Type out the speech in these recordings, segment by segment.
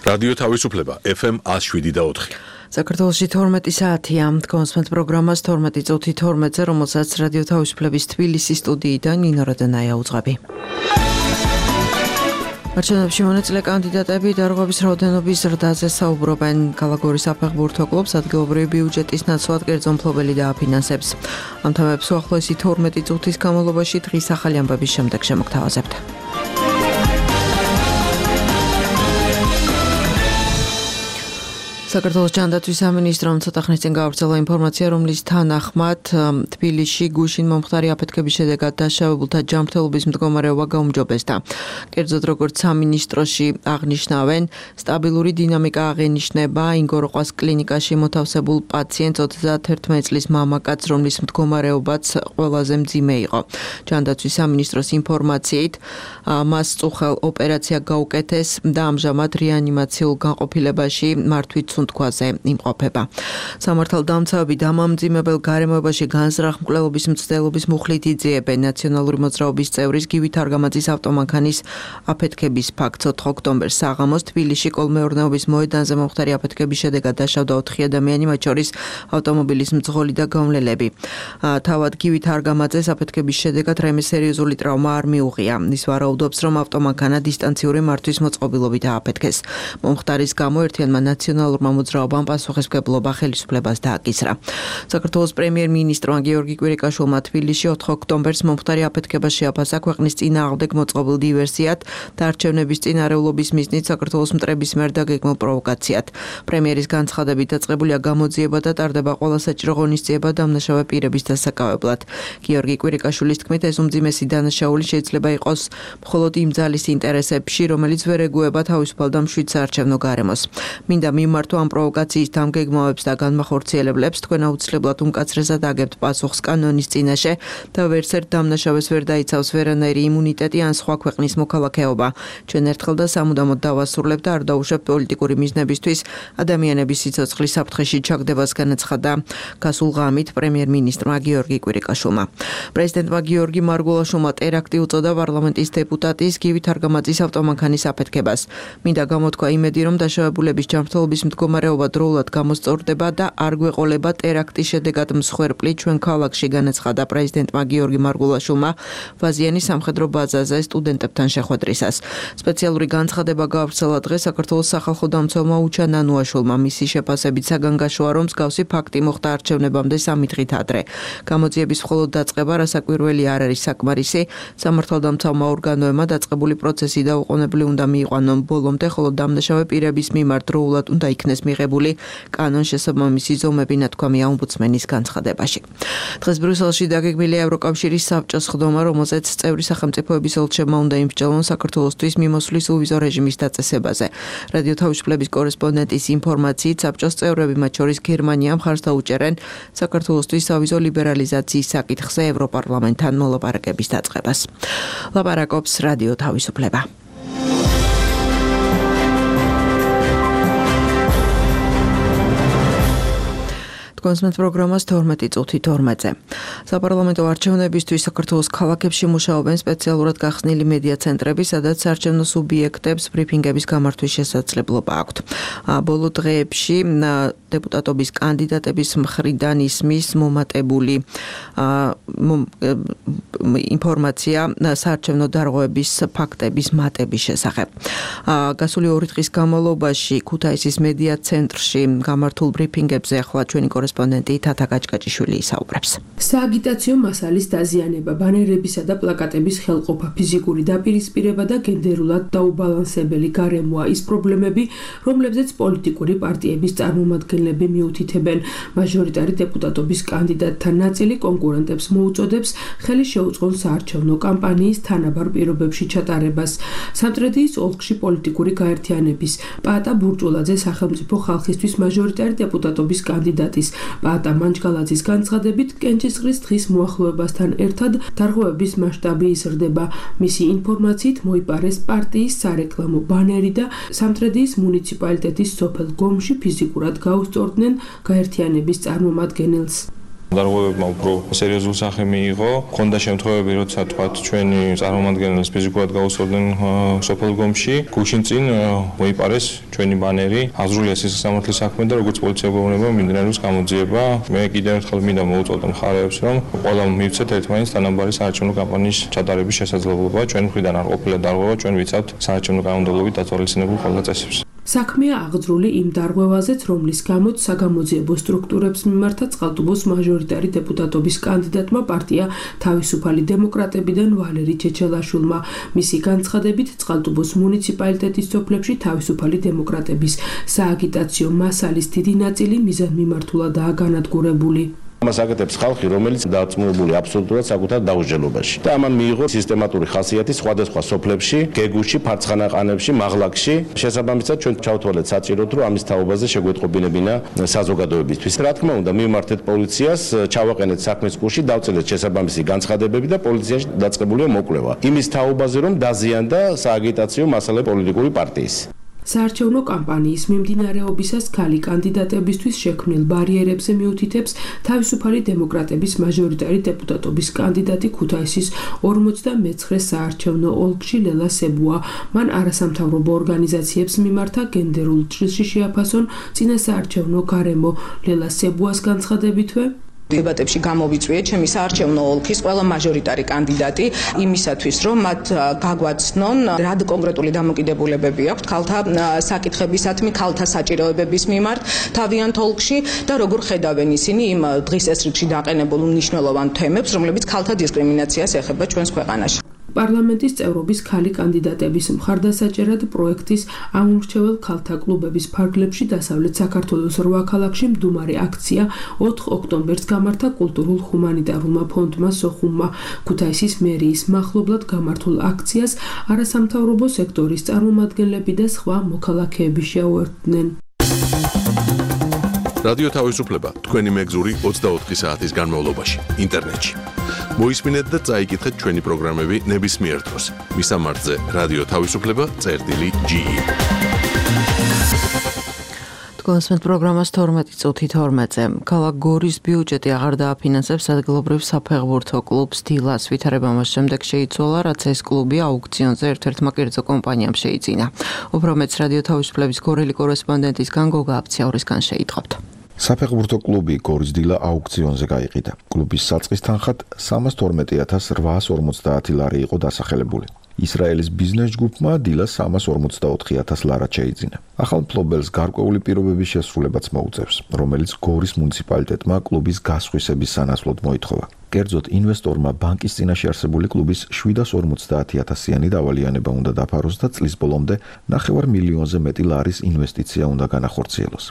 რადიო თავისუფლება FM 107.4. საქართველოში 12 საათია. კონსპენთ პროგრამას 12 წუთი 12-ზე, რომელსაც რადიო თავისუფლების თბილისის სტუდიიდან ნინო როდანაია უძღვები. არჩევნებში მონაწილე კანდიდატები დარღვევის რაოდენობის ზრდაზე საუბრობენ. ქალაქ-გორის საფეხბურთო კლუბს ადგილობრივი ბიუჯეტის ნაცვლად კერძო მფლობელი დააფინანსებს. ამ თემებს უახლოესი 12 წუთის განმავლობაში დღის ახალი ამბების შემდეგ შემოგთავაზებთ. საქართველოს ჯანდაცვის სამინისტრომ ცოტა ხნის წინ გაავრცელა ინფორმაცია, რომლის თანახმად თბილისში გუშინ მომხდარი აფეთქების შედეგად დაშავებულთა ჯანმრთელობის მდგომარეობა გაუმჯობესდა. კერძოდ, როგორც სამინისტროში აღნიშნავენ, სტაბილური დინამიკა აღენიშნება ინგოროყვას კლინიკაში მოთავსებულ პაციენტს 31 წლის მამაკაცს, რომლის მდგომარეობაც ყველაზე მძიმე იყო. ჯანდაცვის სამინისტროს ინფორმაციით, მას წუხელ ოპერაცია გაუკეთეს და ამჟამად რეანიმაციულ განყოფილებაში მართვით სუნთქვაზე იმყოფება. სამართალდამცავები დამამძიმებელ გარემოებაში განზრახ მკვლელობის მცდელობის მუხლით იძიებენ ნაციონალური მოძრაობის წევრის გივით არგამაძის ავტომანქანის აფეთქების ფაქტს. 4 ოქტომბერს საღამოს თბილისში კოლმეურნეობის მოედანზე მომხდარი აფეთქების შედეგად დაშავდა 4 ადამიანი, მათ შორის ავტომობილის მძღოლი და გავლელები. თავად გივით არგამაძეს აფეთქების შედეგად რაიმე სერიოზული ტრავმა არ მიუღია. ის ვარაუდობს, რომ ავტომანქანა დისტანციური მართვის მოწყობილობით ააფეთქეს. მომხდარის გამო ერთიანმა ნაციონალურმა მოძრაობამ პასუხისმგებლობა ხელისუფლებას დააკისრა. საქართველოს პრემიერ-მინისტრმა გიორგი კვირიკაშვილმა თბილისში 4 ოქტომბერს მომხდარი აფეთქება შეაფასა ქვეყნის წინააღმდეგ მოწყობილ დივერსიად და არჩევნების წინარეულობის მიზნით საქართველოს მტრების მიერ დაგეგმილ პროვოკაციად. პრემიერის განცხადებით დაწყებულია გამოძიება და ტარდება ყველა საჭირო ღონისძიება დამნაშავე პირების დასაკავებლად. გიორგი კვირიკაშვილის თქმით, ეს უმძიმესი დანაშაული შეიძლება იყოს მხოლოდ იმ ძალის ინტერესებში, რომელიც ვერ ეგუება თავისუფალ და მშვიდ საარჩევნო გარემოს. მინდა მიმართო ამ პროვოკაციის დამგეგმავებს და განმახორციელებლებს, თქვენ აუცილებლად უმკაცრესად აგებთ პასუხს კანონის წინაშე და ვერც ერთ დამნაშავეს ვერ დაიცავს ვერანაირი იმუნიტეტი ან სხვა ქვეყნის მოქალაქეობა. ჩვენ ერთხელ და სამუდამოდ დავასრულებთ და არ დაუშვებთ პოლიტიკური მიზნებისთვის ადამიანების სიცოცხლის საფრთხეში ჩაგდებას, განაცხადა გასულ ღამით პრემიერ-მინისტრმა გიორგი კვირიკაშვილმა. პრეზიდენტმა გიორგი მარგულაშვილმა ტერაქტი უწოდა პარლამენტის დეპუტატის გივით არგამაძის ავტომანქანის აფეთქებას. მინდა გამოთქვა იმედი, რომ დაშავებულების ჯანმრთელობის მდგომარეობა დროულად გამოსწორდება და არ გვეყოლება ტერაქტის შედეგად მსხვერპლი ჩვენ ქალაქში, განაცხადა პრეზიდენტმა გიორგი მარგულაშვილმა ვაზიანის სამხედრო ბაზაზე სტუდენტებთან შეხვედრისას. სპეციალური განცხადება გაავრცელა დღეს საქართველოს სახალხო დამცველმა უჩა ნანუაშვილმა. მისი შეფასებით საგანგაშოა, რომ მსგავსი ფაქტი მოხდა არჩევნებამდე 3 დღით ადრე. გამოძიების მხოლოდ დაწყება რასაკვირველი არ არის საკმარისი. სამართალდამცავმა ორგანოებმა დაწყებული პროცესი დაუყოვნებლივ უნდა მიიყვანონ ბოლომდე, ხოლო დამნაშავე პირების მიმართ დროულად უნდა იქნეს მიღებული კანონშესაბამისი ზომები, ნათქვამია ომბუდსმენის განცხადებაში. დღეს ბრიუსელში დაგეგმილია ევროკავშირის საბჭოს ხდომა, რომელზეც წევრი სახელმწიფოების ელჩებმა უნდა იმსჯელონ საქართველოსთვის მიმოსვლის uvizო რეჟიმის დაწესებაზე. რადიო თავისუფლების კორესპონდენტის ინფორმაციით, საბჭოს წევრები, მათ შორის გერმანია, მხარს დაუჭერენ საქართველოსთვის სავიზო ლიბერალიზაციის საკითხზე ევროპარლამენტთან მოლაპარაკების დაწყებას. ლაპარაკობს რადიო თავისუფლება. კონსპენთ პროგრამას 12 წუთი 12-ზე. საპარლამენტო არჩევნებისთვის საქართველოს ქალაქებში მუშაობენ სპეციალურად გახსნილი მედია ცენტრები, სადაც საარჩევნო სუბიექტებს ბრიფინგების გამართვის შესაძლებლობა აქვთ. ბოლო დღეებში დეპუტატობის კანდიდატების მხრიდან ისმის მომატებული ინფორმაცია საარჩევნო დარღვევების ფაქტების მატების შესახებ. გასული 2 დღის განმავლობაში ქუთაისის მედია ცენტრში გამართულ ბრიფინგებზე ახლა ჩვენი კორესპონდენტი თათა გაჭკაჭიშვილი ისაუბრებს. სააგიტაციო მასალის დაზიანება, ბანერებისა და პლაკატების ხელყოფა, ფიზიკური დაპირისპირება და გენდერულად დაუბალანსებელი გარემოა ის პრობლემები, რომლებზეც პოლიტიკური პარტიების წარმომადგენლები მიუთითებენ. მაჟორიტარი დეპუტატობის კანდიდატთა ნაწილი კონკურენტებს მოუწოდებს ხელი შეუწყონ საარჩევნო კამპანიის თანაბარ პირობებში ჩატარებას. სამტრედიის ოლქში პოლიტიკური გაერთიანების პაატა ბურჭულაძე სახელმწიფო ხალხისთვის მაჟორიტარი დეპუტატობის კანდიდატის პაატა მანჯგალაძის განცხადებით, კენჭისყრის დღის მოახლოებასთან ერთად დარღვევების მასშტაბი იზრდება. მისი ინფორმაციით მოიპარეს პარტიის სარეკლამო ბანერი და სამტრედიის მუნიციპალიტეტის სოფელ გომში ფიზიკურად გაუსწორდნენ გაერთიანების წარმომადგენელს. დარღვევებმა უფრო სერიოზულ სახე მიიღო. Ხონდა შემთხვევები, როცა თქვათ ჩვენი წარმომადგენლებს ფიზიკურად გაუსწორდნენ სოფელ გომში, გუშინ წინ მოიპარეს ჩვენი ბანერი, აზრულია სისამართლის საქმე და როგორც პოლიცია გვეუბნება მიმდინარეობს გამოძიება. მე კიდევ ერთხელ მინდა მოუწოდო მხარეებს, რომ ყველა მივცეთ ერთმანეთს თანაბარი საარჩევნო კამპანიის ჩატარების შესაძლებლობა. ჩვენ მხრიდან არ ყოფილა დარღვევა, ჩვენ ვიცავთ საარჩევნო კანონმდებლობით დათვალისწინებულ ყველა წესებს. საქმეა აღძრული იმ დარღვევაზეც, რომლის გამოც საგამოძიებო სტრუქტურებს მიმართა წყალტუბოს მაჟორიტარი დეპუტატობის კანდიდატმა პარტია თავისუფალი დემოკრატებიდან ვალერი ჩეჩელაშვილმა. მისი განცხადებით, წყალტუბოს მუნიციპალიტეტის სოფლებში თავისუფალი დემოკრატების სააგიტაციო მასალის დიდი ნაწილი მიზანმიმართულადაა განადგურებული. ამას აკეთებს ხალხი, რომელიც დაწმუნებული აბსოლუტურად საკუთარ დაუსჯელობაში. და ამან მიიღო სისტემატური ხასიათი სხვადასხვა სოფლებში, გეგუში, ფარცხანაყანებში, მაღლაკში. შესაბამისად, ჩვენ ჩავთვალეთ საჭიროდ, რომ ამის თაობაზე შეგვეტყობინებინა საზოგადოებისთვის. რა თქმა უნდა, მივმართეთ პოლიციას, ჩავაყენეთ საქმის კურსში, დავწერეთ შესაბამისი განცხადებები და პოლიციაში დაწყებულია მოკვლევა. იმის თაობაზე, რომ დაზიანდა სააგიტაციო მასალა პოლიტიკური პარტიის. საარჩევნო კამპანიის მიმდინარეობისას ქალი კანდიდატებისთვის შექმნილ ბარიერებზე მიუთითებს თავისუფალი დემოკრატების მაჟორიტარი დეპუტატობის კანდიდატი ქუთაისის 49 საარჩევნო ოლქში ლელა სებუა. მან არასამთავრობო ორგანიზაციებს მიმართა გენდერულ ჭრილში შეაფასონ წინასაარჩევნო გარემო. ლელა სებუას განცხადებითვე დებატებში გამოვიწვიეთ ჩემი საარჩევნო ოლქის ყველა მაჟორიტარი კანდიდატი იმისათვის, რომ მათ გაგვაცნონ რა კონკრეტული დამოკიდებულებები აქვთ ქალთა საკითხებისადმი, ქალთა საჭიროებების მიმართ თავიანთ ოლქში და როგორ ხედავენ ისინი იმ დღის ესრიგში დაყენებულ მნიშვნელოვან თემებს, რომლებიც ქალთა დისკრიმინაციას ეხება ჩვენს ქვეყანაში. პარლამენტის წევრობის ქალი კანდიდატების მხარდასაჭერად პროექტის ამომრჩეველ ქალთა კლუბების ფარგლებში დასავლეთ საქართველოს 8 ქალაქში მდუმარე აქცია 4 ოქტომბერს გამართა კულტურულ ჰუმანიტარულმა ფონდმა სოხუმმა. ქუთაისის მერიის მახლობლად გამართულ აქციას არასამთავრობო სექტორის წარმომადგენლები და სხვა მოქალაქეები შეუერთდნენ. რადიო თავისუფლება თქვენი მეგზური 24 საათის განმავლობაში ინტერნეტში. მოისმინეთ და წაიკითხეთ ჩვენი პროგრამები ნებისმიერ დროს. მისამართზე რადიო თავისუფლება.ge. გულისხმობთ პროგრამას 12:12-ზე. ქალაქ გორის ბიუჯეტი აღარ დააფინანსებს ადგილობრივ საფეხბურთო კლუბს დილას. ვითარება მას შემდეგ შეიცვალა, რაც ეს კლუბი აუქციონზე ერთ-ერთმა კერძო კომპანიამ შეიძინა. უფრო მეც რადიო თავისუფლების გორელი კორესპონდენტისგან გოგა აფციაურისგან შეიტყობთ. საფეხბურთო კლუბი გორის დილა აუქციონზე გაიყიდა. კლუბის საწყის თანხად 328,850 ლარი იყო დასახელებული. ისრაელის ბიზნეს ჯგუფმა დილას 344,000 ლარად შეიძინა. ახალ მფლობელს გარკვეული პირობების შესრულებაც მოუწევს, რომელიც გორის მუნიციპალიტეტმა კლუბის გასხვისების სანაცვლოდ მოითხოვა. კერძოდ, ინვესტორმა ბანკის წინაშე არსებული კლუბის 750,000-იანი დავალიანება უნდა დაფაროს და წლის ბოლომდე 9 მილიონზე მეტი ლარის ინვესტიცია უნდა განახორციელოს.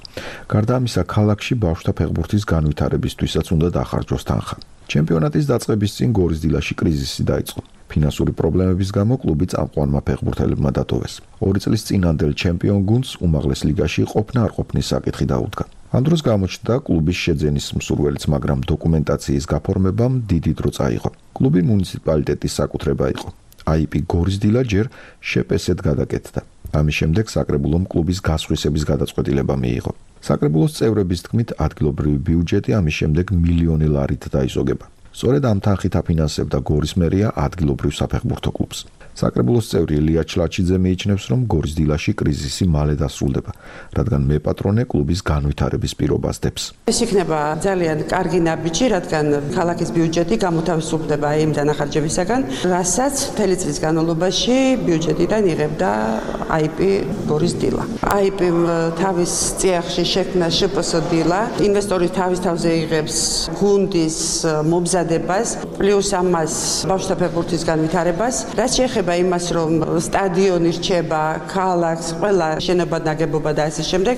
გარდა ამისა, ქალაქში ბავშვთა ფეხბურთის განვითარებისთვისაც უნდა დახარჯოს თანხა. ჩემპიონატის დაწყების წინ გორის დილაში კრიზისი დაიწყო. ფინანსური პრობლემების გამო კლუბი წამყვანმა ფეხბურთელებმა დატოვეს. 2 წლის წინანდელ ჩემპიონ გუნდს უმაღლეს ლიგაში ყოფნა არ ყოფნის საკითხი დაუდგა. ამ დროს გამოჩნდა კლუბის შეძენის მსურველიც, მაგრამ დოკუმენტაციის გაფორმებამ დიდი დრო წაიღო. კლუბი მუნიციპალიტეტის საკუთრება იყო. IP გორის დილა ჯერ შეპესეთ გადაკეთდა. ამის შემდეგ საკრებულომ კლუბის გასხვისების გადაწყვეტილება მიიღო. საკრებულოს წევრების თქმით, ადგილობრივი ბიუჯეტი ამის შემდეგ მილიონი ლარით დაიზოგება. სწორედ ამ თანხით აფინანსებდა გორის მერია ადგილობრივ საფეხბურთო კლუბს. საკრებულოს წევრი ელია ჩლაჩიძე მიიჩნევს, რომ გორის დილაში კრიზისი მალე დასრულდება, რადგან მეპატრონე კლუბის განვითარების პირობას დებს. ეს იქნება ძალიან კარგი ნაბიჯი, რადგან ქალაქის ბიუჯეტი გამოთავისუფლდება იმ დანახარჯებისაგან, რასაც მთელი წლის განმავლობაში ბიუჯეტიდან იღებდა IP გორის დილა. IP-მ თავის წიაღში შექმნა შპს დილა, ინვესტორი თავის თავზე იღებს გუნდის მომზადებას, პლუს ამას ბავშვთა ფეხბურთის განვითარებას, რაც შეეხება იმას, რომ სტადიონი რჩება, ქალაქს, ყველა შენობა ნაგებობა და ასე შემდეგ,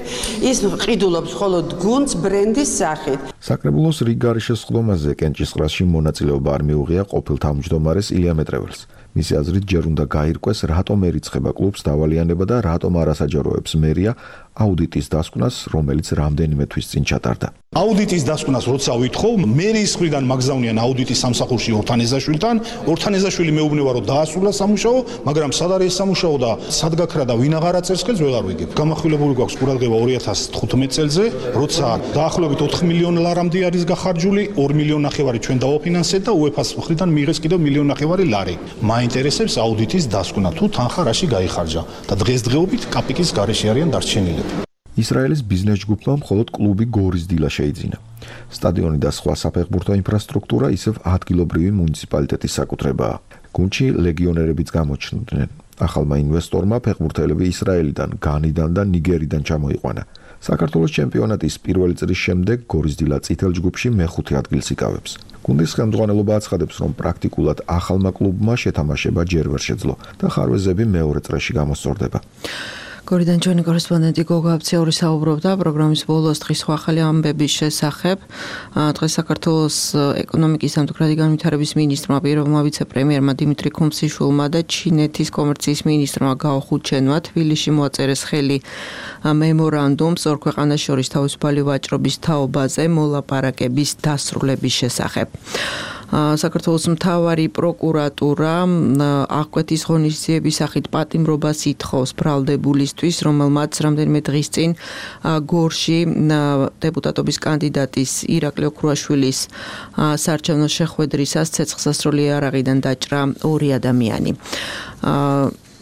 ის ყიდულობს მხოლოდ გუნდს ბრენდის სახით. საკრებულოს რიგ გარშესხდომაზე კენჭისყრაში მონაწილეობა არ მიუღია ყოფილ თავმჯდომარეს ილია მეტრეველს. მისი აზრით, ჯერ უნდა გაირკვეს, რატომ ერიცხება კლუბს დავალიანება და რატომ არასაჯაროებს მერია აუდიტის დასკვნას, რომელიც რამდენიმე თვის წინ ჩატარდა. აუდიტის დასკვნას როცა ვითხოვ, მერიის მხრიდან მაგზავნიან აუდიტის სამსახურში ორთანეზაშვილთან. ორთანეზაშვილი მეუბნება, რომ დაასრულა სამუშაო, მაგრამ სად არის სამუშაო და სად გაქრა და ვინ აღარ აწერს ხელს, ვეღარ ვიგებ. გამახვილებული გვაქვს ყურადღება 2015 წელზე, როცა დაახლოებით 4 მილიონი ლარამდე არის გახარჯული, 2 მილიონი ნახევარი ჩვენ დავაფინანსეთ და UEFA-ს მხრიდან მიიღეს კიდევ 1 მილიონი ნახევარი ლარი. მაინტერესებს აუდიტის დასკვნა, თუ თანხა რაში გაიხარჯა და დღესდღეობით კაპიკის გარეშე არიან დარჩენილები. ისრაელის ბიზნეს ჯგუფმა მხოლოდ კლუბი გორის დილა შეიძინა. სტადიონი და სხვა საფეხბურთო ინფრასტრუქტურა ისევ ადგილობრივი მუნიციპალიტეტის საკუთრებაა. გუნდში ლეგიონერებიც გამოჩნდნენ. ახალმა ინვესტორმა ფეხბურთელები ისრაელიდან, განიდან და ნიგერიდან ჩამოიყვანა. საქართველოს ჩემპიონატის პირველი წრის შემდეგ გორის დილა წითელ ჯგუფში მეხუთე ადგილს იკავებს. გუნდის ხელმძღვანელობა აცხადებს, რომ პრაქტიკულად ახალმა კლუბმა შეთამაშება ჯერ ვერ შეძლო და ხარვეზები მეორე წრეში გამოსწორდება. გორიდან ჩვენი კორესპონდენტი გოგა აბციაური საუბრობდა პროგრამის ბოლოს დღის სხვა ახალი ამბების შესახებ. დღეს საქართველოს ეკონომიკის სამთუქრადი განვითარების მინისტრმა, პირველმა ვიცე-პრემიერმა დიმიტრი ქუმსიშვილმა და ჩინეთის კომერციის მინისტრმა გაო ხუჩენმა თბილისში მოაწერეს ხელი მემორანდუმს ორ ქვეყანას შორის თავისუფალი ვაჭრობის თაობაზე მოლაპარაკების დასრულების შესახებ. საქართველოს მთავარი პროკურატურა აღკვეთის ღონისძიების სახით პატიმრობას ითხოვს ბრალდებულისთვის, რომელმაც რამდენიმე დღის წინ გორში დეპუტატობის კანდიდატის ირაკლი ოქრუაშვილის საარჩევნო შეხვედრისას ცეცხლსასროლი იარაღიდან დაჭრა 2 ადამიანი.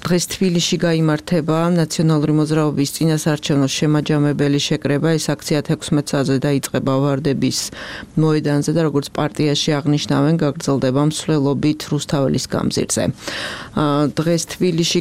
დღეს თბილისში გაიმართება ნაციონალური მოძრაობის წინასაარჩევნო შემაჯამებელი შეკრება. ეს აქცია 16 საათზე დაიწყება ვარდების მოედანზე და როგორც პარტიაში აღნიშნავენ, გაგრძელდება მსვლელობით რუსთაველის გამზირზე. დღეს თბილისში